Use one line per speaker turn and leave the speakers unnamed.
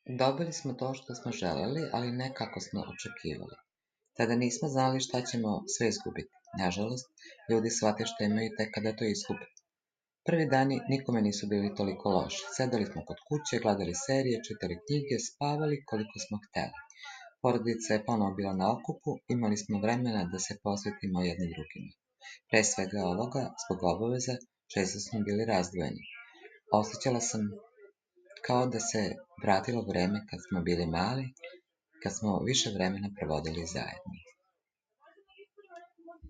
Dobili smo to što smo želeli, ali ne kako smo očekivali. Tada nismo znali šta ćemo sve izgubiti. Nažalost, ljudi shvate što imaju tek kada to izgube. Prvi dani nikome nisu bili toliko loši. Sedali smo kod kuće, gledali serije, čitali knjige, spavali koliko smo hteli. Porodica je ponovo bila na okupu, imali smo vremena da se posvetimo jedni drugima. Pre svega ovoga, zbog obaveza, često smo bili razdvojeni. Osjećala sam kao da se vratilo vreme kad smo bili mali, kad smo više vremena provodili zajedno.